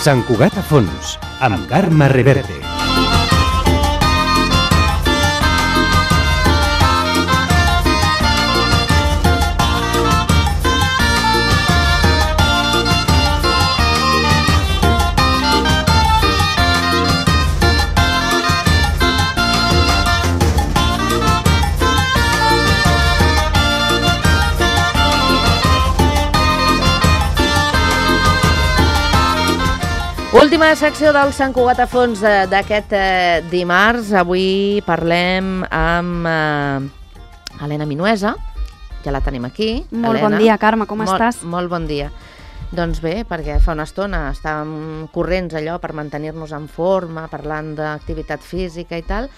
Sant Cugat a fons, amb Carme Reverte. Última secció del Sant Cugat a fons d'aquest dimarts. Avui parlem amb Helena Minuesa. Ja la tenim aquí. Molt bon dia, Carme, com estàs? Molt bon dia. Doncs bé, perquè fa una estona estàvem corrents allò per mantenir-nos en forma, parlant d'activitat física i tal,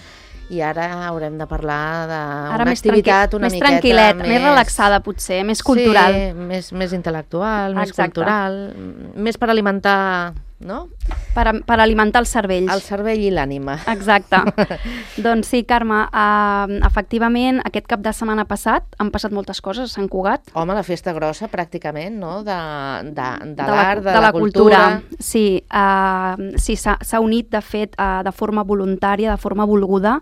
i ara haurem de parlar d'una activitat una miqueta més tranquil·leta, més relaxada potser, més cultural. Sí, més intel·lectual, més cultural, més per alimentar, no? Per alimentar els cervells. El cervell i l'ànima. Exacte. Doncs sí, Carme, efectivament, aquest cap de setmana passat han passat moltes coses a Sant Cugat. Home, la festa grossa, pràcticament, no? De l'art, de la cultura. Sí, s'ha unit, de fet, de forma voluntària, de forma volguda,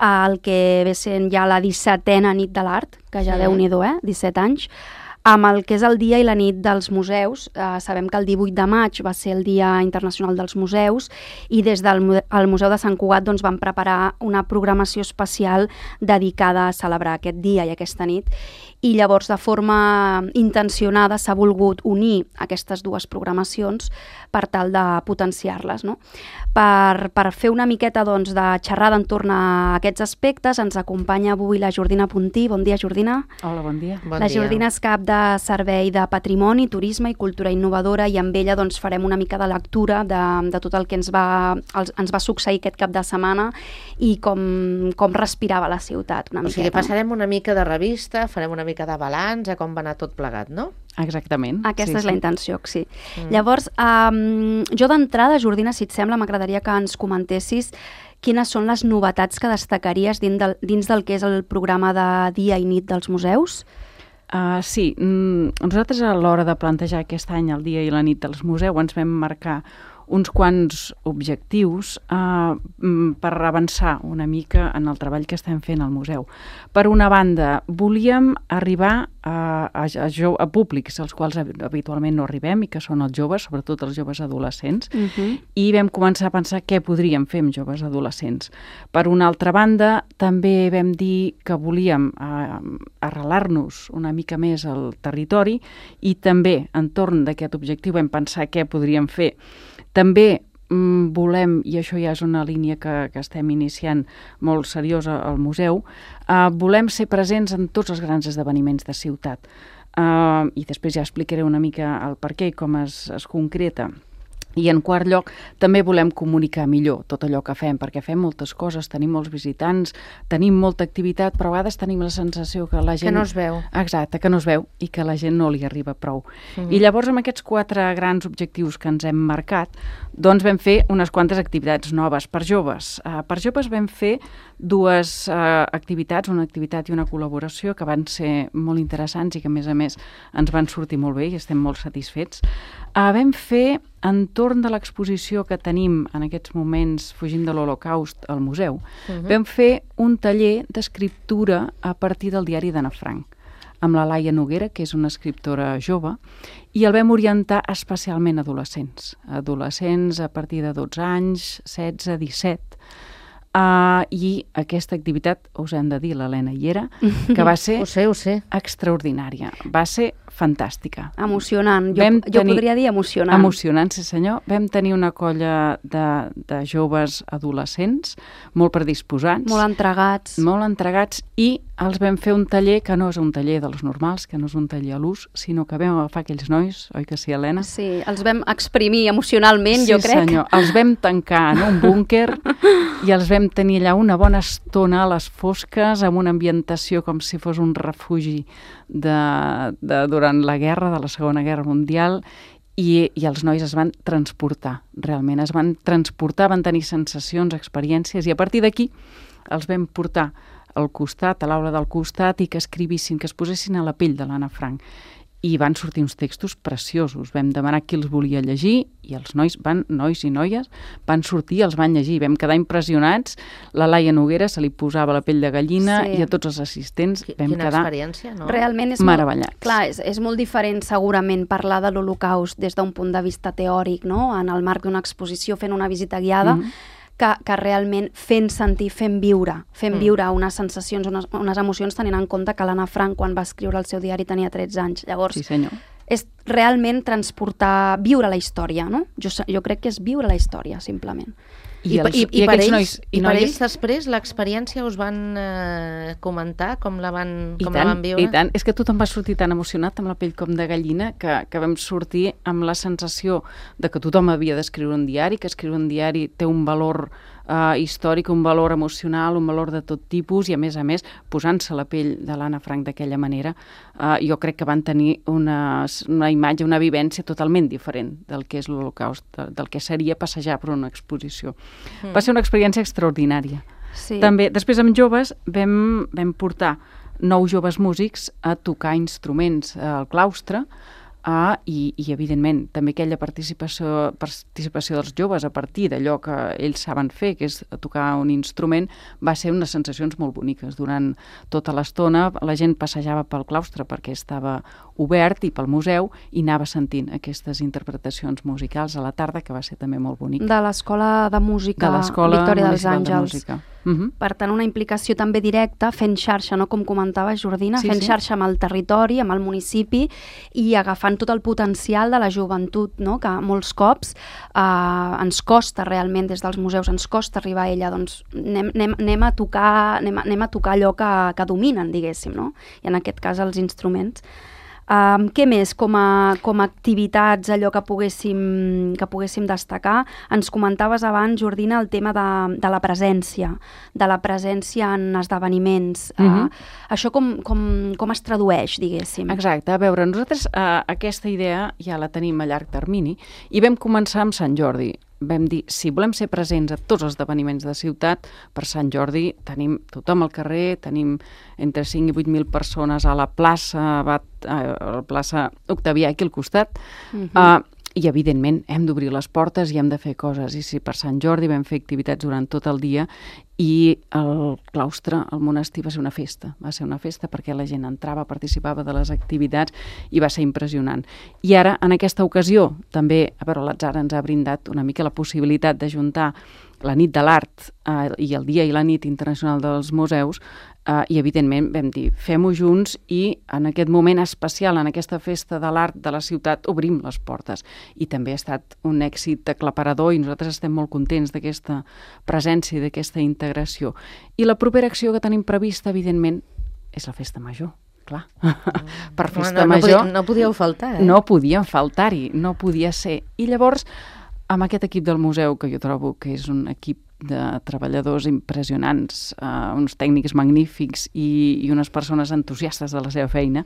el que ve sent ja la 17a nit de l'art, que ja Déu-n'hi-do, 17 anys, amb el que és el dia i la nit dels museus. Sabem que el 18 de maig va ser el Dia Internacional dels Museus i des del Museu de Sant Cugat doncs, van preparar una programació especial dedicada a celebrar aquest dia i aquesta nit. I llavors, de forma intencionada, s'ha volgut unir aquestes dues programacions per tal de potenciar-les, no? Per fer una miqueta doncs, de xerrada entorn a aquests aspectes, ens acompanya avui la Jordina Puntí. Bon dia, Jordina. Hola, bon dia. La Jordina és cap de Servei de Patrimoni, Turisme i Cultura Innovadora, i amb ella doncs, farem una mica de lectura de tot el que ens va succeir aquest cap de setmana i com respirava la ciutat una miqueta. O sigui, passarem una mica de revista, farem una mica de balanç a com va anar tot plegat, no? Exactament. Aquesta és la intenció, sí. Llavors, jo d'entrada, Jordina, si et sembla, m'agradaria que ens comentessis quines són les novetats que destacaries dins del que és el programa de Dia i Nit dels Museus. Sí, nosaltres a l'hora de plantejar aquest any el Dia i la Nit dels Museus ens vam marcar uns quants objectius per avançar una mica en el treball que estem fent al museu. Per una banda, volíem arribar a públics als quals habitualment no arribem i que són els joves, sobretot els joves adolescents, i vam començar a pensar què podríem fer amb joves adolescents. Per una altra banda, també vam dir que volíem arrelar-nos una mica més al territori i també entorn d'aquest objectiu vam pensar què podríem fer. També volem, i això ja és una línia que estem iniciant molt seriosa al museu, volem ser presents en tots els grans esdeveniments de ciutat. I després ja explicaré una mica el per què i com es concreta. I en quart lloc, també volem comunicar millor tot allò que fem, perquè fem moltes coses, tenim molts visitants, tenim molta activitat, però a vegades tenim la sensació que la gent... Que no es veu. Exacte, que no es veu i que la gent no li arriba prou. I llavors, amb aquests 4 grans objectius que ens hem marcat, doncs vam fer unes quantes activitats noves per joves. Per joves vam fer 2 activitats, una activitat i una col·laboració, que van ser molt interessants i que, a més, ens van sortir molt bé i estem molt satisfets. Vam fer, entorn de l'exposició que tenim en aquests moments fugint de l'Holocaust al museu, vam fer un taller d'escriptura a partir del diari d'Anna Frank, amb la Laia Noguera, que és una escriptora jove, i el vam orientar especialment a adolescents. Adolescents a partir de 12 anys, 16, 17... I aquesta activitat, us hem de dir, l'Helena hi era, que va ser extraordinària, va ser fantàstica. Emocionant, jo podria dir emocionant. Emocionant, sí senyor. Vam tenir una colla de joves adolescents, molt predisposats. Molt entregats i els vam fer un taller que no és un taller dels normals, que no és un taller a l'ús, sinó que vam agafar aquells nois, oi que sí, Helena? Sí, els vam exprimir emocionalment, jo crec. Sí senyor, els vam tancar en un búnquer i els vam tenir allà una bona estona a les fosques, amb una ambientació com si fos un refugi durant la guerra, de la Segona Guerra Mundial, i els nois es van transportar, realment, es van transportar, van tenir sensacions, experiències, i a partir d'aquí els vam portar al costat, a l'aula del costat, i que escrivissin, que es posessin a la pell de l'Anna Frank. i van sortir uns textos preciosos. Vam demanar qui els volia llegir i els nois i noies van sortir i els van llegir. Vam quedar impressionats. La Laia Noguera se li posava la pell de gallina i a tots els assistents vam quina quedar experiència, no? Realment és meravellats. Clar, és molt diferent segurament parlar de l'Holocaust des d'un punt de vista teòric, no? En el marc d'una exposició, fent una visita guiada, que realment fent sentir, fent viure unes sensacions, unes emocions, tenint en compte que l'Anna Frank, quan va escriure el seu diari, tenia 13 anys. Llavors, sí, senyor. És realment transportar, viure la història, no? Jo crec que és viure la història, simplement. I per ells després l'experiència us van comentar com la van viure? I tant, és que tothom va sortir tan emocionat amb la pell com de gallina que vam sortir amb la sensació de que tothom havia d'escriure un diari, que escriure un diari té un valor històric, un valor emocional, un valor de tot tipus i a més, posant-se la pell de l'Anna Frank d'aquella manera, jo crec que van tenir una imatge, una vivència totalment diferent del que és l'Holocaust, del que seria passejar per una exposició. Va ser una experiència extraordinària. Sí. També, després amb joves vam portar 9 joves músics a tocar instruments al claustre, i evidentment també aquella participació dels joves a partir d'allò que ells saben fer, que és tocar un instrument, va ser unes sensacions molt boniques. Durant tota l'estona la gent passejava pel claustre perquè estava obert i pel museu i anava sentint aquestes interpretacions musicals a la tarda, que va ser també molt bonic. De l'Escola de Música Victòria dels Àngels. Per tant, una implicació també directa, fent xarxa, no? Com comentava Jordina, fent xarxa amb el territori, amb el municipi i agafant tot el potencial de la joventut, no? Que molts cops ens costa realment, des dels museus, ens costa arribar a ella, doncs anem a tocar allò que dominen, diguéssim, no? I en aquest cas els instruments. Què més com a activitats, allò que poguéssim destacar? Ens comentaves abans, Jordina, el tema de la presència en esdeveniments. Això com es tradueix, diguéssim? Exacte, a veure, nosaltres aquesta idea ja la tenim a llarg termini i vam començar amb Sant Jordi. Vam dir, si volem ser presents a tots els esdeveniments de ciutat, per Sant Jordi tenim tothom al carrer, tenim entre 5 i 8.000 persones a la plaça Octavià aquí al costat, i evidentment hem d'obrir les portes i hem de fer coses. I si per Sant Jordi vam fer activitats durant tot el dia i el claustre, el monestir, va ser una festa. Va ser una festa perquè la gent entrava, participava de les activitats i va ser impressionant. I ara, en aquesta ocasió, també, a veure, l'atzar ens ha brindat una mica la possibilitat d'ajuntar la nit de l'art i el dia i la nit internacional dels museus, i evidentment vam dir, fem-ho junts i en aquest moment especial, en aquesta festa de l'art de la ciutat, obrim les portes. I també ha estat un èxit aclaparador i nosaltres estem molt contents d'aquesta presència i d'aquesta integració. I la propera acció que tenim prevista, evidentment, és la festa major. Clar, per festa major... No podíeu faltar, No podíem faltar-hi, no podia ser. I llavors, amb aquest equip del museu, que jo trobo que és un equip de treballadors impressionants, uns tècnics magnífics i unes persones entusiastes de la seva feina,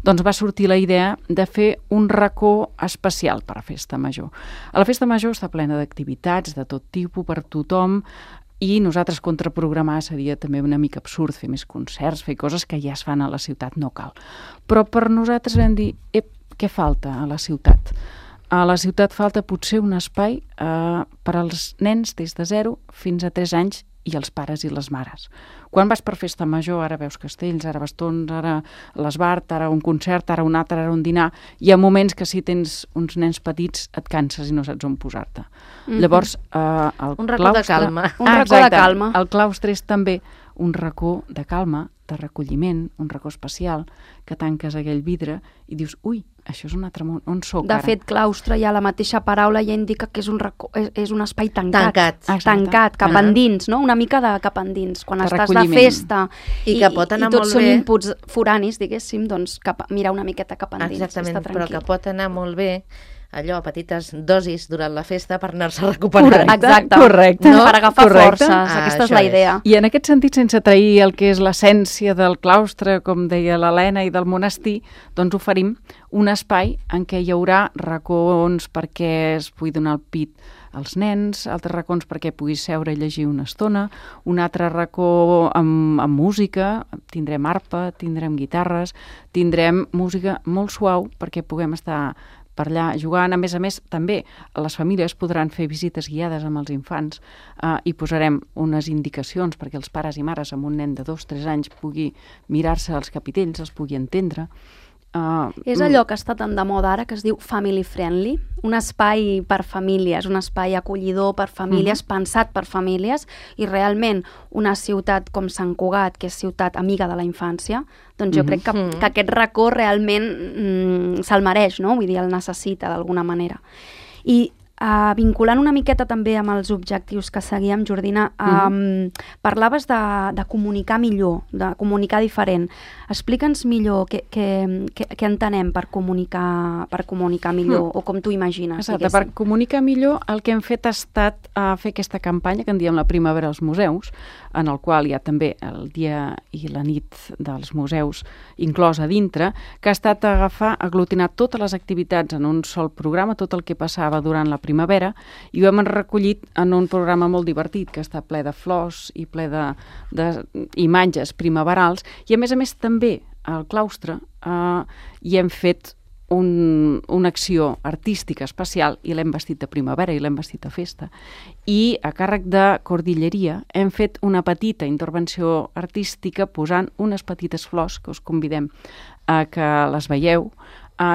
doncs va sortir la idea de fer un racó especial per a Festa Major. A la Festa Major està plena d'activitats de tot tipus, per tothom, i nosaltres contraprogramar seria també una mica absurd, fer més concerts, fer coses que ja es fan a la ciutat, no cal. Però per nosaltres vam dir, què falta a la ciutat? A la ciutat falta potser un espai per als nens des de 0 fins a 3 anys i els pares i les mares. Quan vas per Festa Major, ara veus castells, ara bastons, ara l'esbart, ara un concert, ara un altre, ara un dinar. Hi ha moments que si tens uns nens petits et canses i no saps on posar-te. Llavors, un racó de calma. Un racó de calma. El claustre és també un racó de calma, de recolliment, un racó especial, que tanques aquell vidre i dius, ui, això és un altre món, on soc ara? De fet, claustre, ja la mateixa paraula ja indica que és un racó, és un espai tancat. Tancat, cap endins, no? Una mica de cap endins. Quan estàs de festa i que pot anar i tots molt són bé. inputs foranis, diguéssim, doncs mirar una miqueta cap endins. Exactament, però que pot anar molt bé allò, a petites dosis durant la festa per anar-se recuperant. Exacte. Correcte. No? Per agafar Correcte. forces, aquesta és la idea. I en aquest sentit, sense trair el que és l'essència del claustre, com deia l'Helena, i del monestir, doncs oferim un espai en què hi haurà racons perquè es pugui donar el pit als nens, altres racons perquè puguis seure i llegir una estona, un altre racó amb música, tindrem arpa, tindrem guitarres, tindrem música molt suau perquè puguem estar per allà jugant. A més, també les famílies podran fer visites guiades amb els infants i posarem unes indicacions perquè els pares i mares amb un nen de 2-3 anys pugui mirar-se els capitells, els pugui entendre. És allò que està tan de moda ara, que es diu family friendly, un espai per famílies, un espai acollidor per famílies, pensat per famílies, i realment una ciutat com Sant Cugat, que és ciutat amiga de la infància, doncs jo crec que aquest racó realment se'l mereix, no? Vull dir, el necessita d'alguna manera. I vinculant una miqueta també amb els objectius que seguíem, Jordina, parlaves de comunicar millor, de comunicar diferent. Explica'ns millor què entenem per comunicar millor, o com tu imagines. Exacte, per comunicar millor el que hem fet ha estat fer aquesta campanya que en diem la Primavera als Museus, en el qual hi ha també el dia i la nit dels museus inclòs a dintre, que ha estat aglutinar totes les activitats en un sol programa, tot el que passava durant la primavera, i ho hem recollit en un programa molt divertit que està ple de flors i ple d'imatges primaverals, i a més també al claustre hi hem fet una acció artística especial i l'hem vestit de primavera i l'hem vestit de festa, i a càrrec de Cordilleria hem fet una petita intervenció artística posant unes petites flors que us convidem a que les veieu.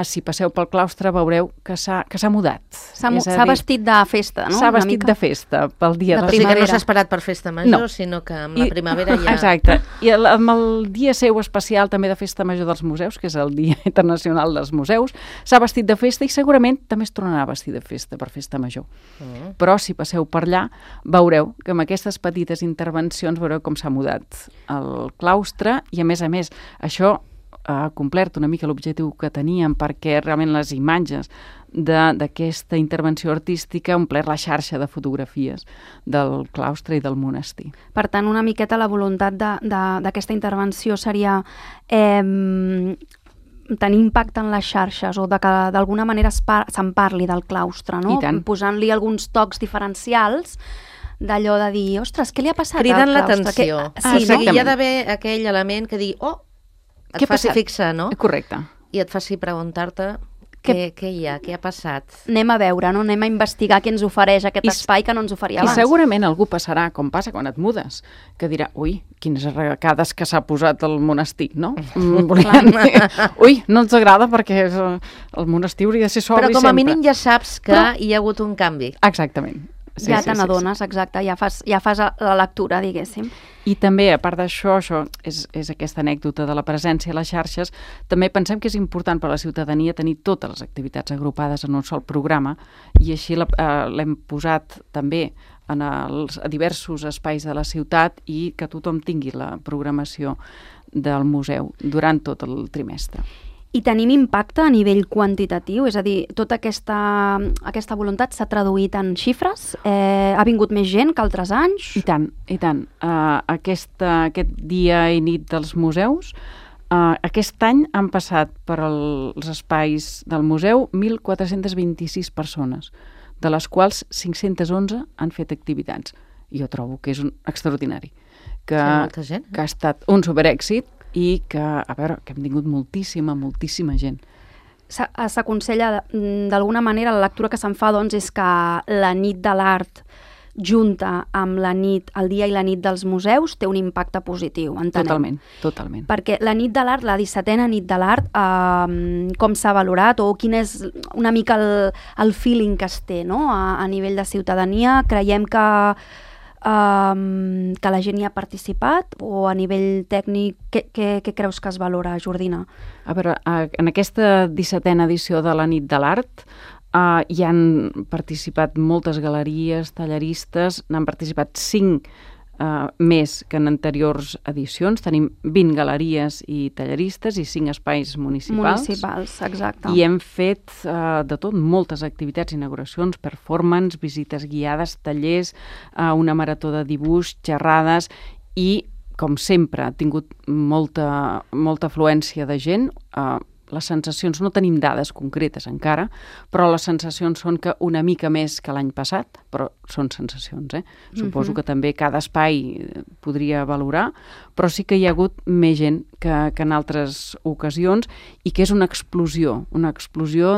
Si passeu pel claustre veureu que s'ha mudat. S'ha vestit de festa, no? S'ha vestit de festa pel dia de la primavera. Que no s'ha esperat per festa major, sinó que amb la primavera ja... Exacte. I amb el dia seu especial també de festa major dels museus, que és el Dia Internacional dels Museus, s'ha vestit de festa i segurament també es tornarà a vestir de festa per festa major. Però si passeu per allà veureu que amb aquestes petites intervencions veureu com s'ha mudat el claustre, i a més això ha complert una mica l'objectiu que teníem, perquè realment les imatges d'aquesta intervenció artística ha omplert la xarxa de fotografies del claustre i del monestir. Per tant, una miqueta la voluntat d'aquesta intervenció seria tenir impacte en les xarxes, o que d'alguna manera se'n parli del claustre, no? Posant-li alguns tocs diferencials, d'allò de dir, ostres, què li ha passat al claustre? Cridant l'atenció. Sí, hi ha d'haver aquell element que digui, et faci fixar, no? Correcte. I et faci preguntar-te què hi ha, què ha passat. Anem a veure, no? Anem a investigar què ens ofereix aquest espai que no ens oferia abans. I segurament algú passarà, com passa quan et mudes, que dirà, ui, quines arracades que s'ha posat al monestir, no? Ui, no ens agrada perquè el monestir hauria de ser sobri sempre. Però com a mínim ja saps que hi ha hagut un canvi. Exactament. Ja te n'adones, exacte, ja fas la lectura, diguéssim. I també, a part d'això, això és aquesta anècdota de la presència a les xarxes, també pensem que és important per a la ciutadania tenir totes les activitats agrupades en un sol programa, i així l'hem posat també a diversos espais de la ciutat, i que tothom tingui la programació del museu durant tot el trimestre. I tenim impacte a nivell quantitatiu? És a dir, tota aquesta voluntat s'ha traduït en xifres? Ha vingut més gent que altres anys? I tant, i tant. Aquest dia i nit dels museus, aquest any han passat per els espais del museu 1.426 persones, de les quals 511 han fet activitats. Jo trobo que és extraordinari. Que ha estat un superèxit, i que, a veure, que hem tingut moltíssima gent. S'aconsella, d'alguna manera, la lectura que se'n fa, doncs, és que la nit de l'art junta amb el dia i la nit dels museus té un impacte positiu, entenem. Totalment. Perquè la nit de l'art, la 17a nit de l'art, com s'ha valorat, o quin és una mica el feeling que es té, no? A nivell de ciutadania, creiem que la gent hi ha participat, o a nivell tècnic, què creus que es valora, Jordina? A veure, en aquesta 17a edició de la nit de l'art hi han participat moltes galeries, tallaristes, n'han participat 5 més que en anteriors edicions. Tenim 20 galeries i tallaristes i 5 espais municipals. Exacte. I hem fet de tot, moltes activitats, inauguracions, performance, visites guiades, tallers, una marató de dibuix, xerrades, i, com sempre, ha tingut molta afluència de gent, les sensacions, no tenim dades concretes encara, però les sensacions són que una mica més que l'any passat, però són sensacions, Suposo que també cada espai podria valorar, però sí que hi ha hagut més gent que en altres ocasions i que és una explosió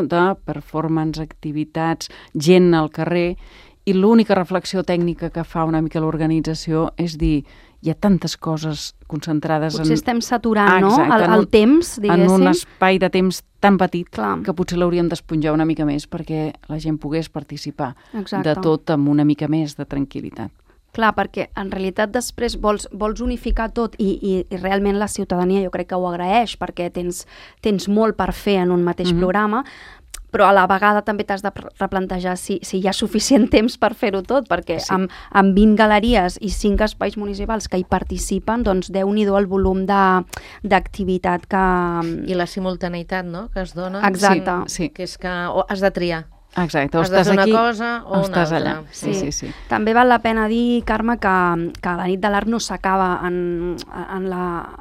de performance, activitats, gent al carrer, i l'única reflexió tècnica que fa una mica l'organització és dir, hi ha tantes coses concentrades potser estem saturant, no? El temps, diguéssim. En un espai de temps tan petit Clar. que potser l'hauríem d'esponjar una mica més perquè la gent pogués participar Exacte. de tot amb una mica més de tranquil·litat. Clar, perquè en realitat després vols unificar tot i realment la ciutadania jo crec que ho agraeix perquè tens molt per fer en un mateix programa, però a la vegada també t'has de replantejar si hi ha suficient temps per fer-ho tot, perquè amb 20 galeries i 5 espais municipals que hi participen, doncs Déu-n'hi-do el volum d'activitat que... I la simultaneïtat, no?, que es dona. Exacte. Sí. Que és que has de triar. Exacte, has de fer una cosa o una altra. Allà. Sí. També val la pena dir, Carme, que la nit de l'art no s'acaba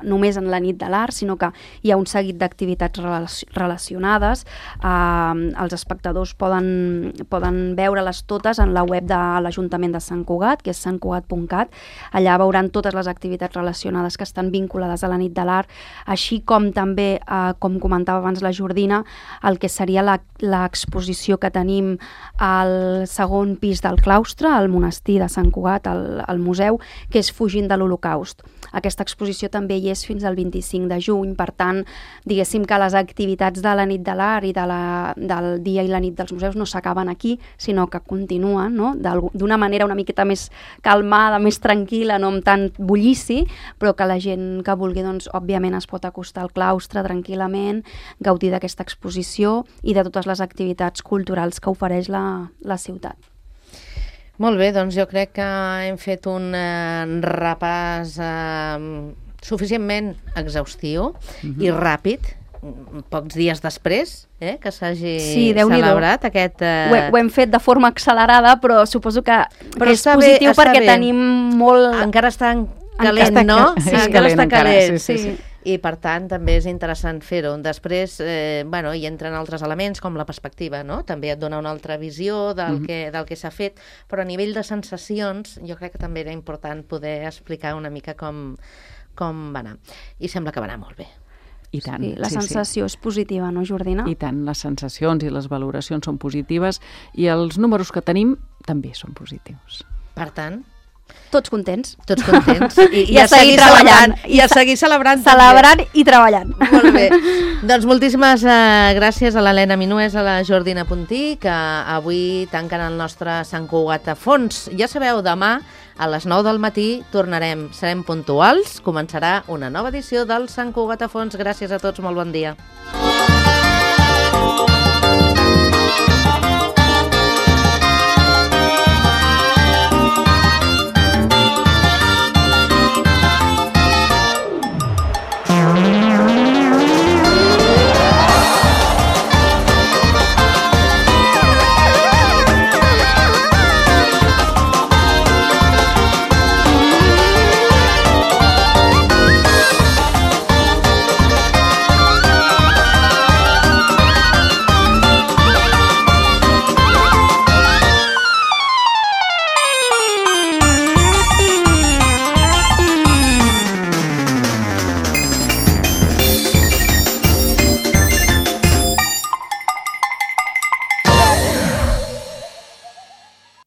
només en la nit de l'art, sinó que hi ha un seguit d'activitats relacionades. Els espectadors poden veure-les totes en la web de l'Ajuntament de Sant Cugat, que és santcugat.cat. Allà veuran totes les activitats relacionades que estan vinculades a la nit de l'art, així com també, com comentava abans la Jordina, el que seria l'exposició que tenim al segon pis del claustre, al monestir de Sant Cugat, al museu, que és Fugint de l'Holocaust. Aquesta exposició també hi és fins al 25 de juny, per tant, diguéssim que les activitats de la nit de l'art i del dia i la nit dels museus no s'acaben aquí, sinó que continuen, no?, d'una manera una miqueta més calmada, més tranquil·la, no amb tant bullici, però que la gent que vulgui, doncs, òbviament es pot acostar al claustre tranquil·lament, gaudir d'aquesta exposició i de totes les activitats culturals que ofereix la ciutat. Molt bé, doncs jo crec que hem fet un repàs suficientment exhaustiu i ràpid, pocs dies després que s'hagi celebrat aquest... Ho hem fet de forma accelerada, però suposo que és positiu perquè tenim molt... Encara està calent, no? Encara està calent, sí. I per tant també és interessant fer-ho. Després hi entren altres elements com la perspectiva, no? També et dona una altra visió del que s'ha fet, però a nivell de sensacions jo crec que també era important poder explicar una mica com va anar. I sembla que va anar molt bé. I tant. Sí, la sensació és positiva, no, Jordina? I tant, les sensacions i les valoracions són positives i els números que tenim també són positius. Per tant... Tots contents. Tots contents. I a seguir treballant. I a seguir celebrant. Celebrant i treballant. Molt bé. Doncs moltíssimes gràcies a l'Helena Minués, a la Jordina Puntí, que avui tanquen el nostre Sant Cugat a fons. Ja sabeu, demà a les 9 del matí serem puntuals, començarà una nova edició del Sant Cugat a fons. Gràcies a tots, molt bon dia.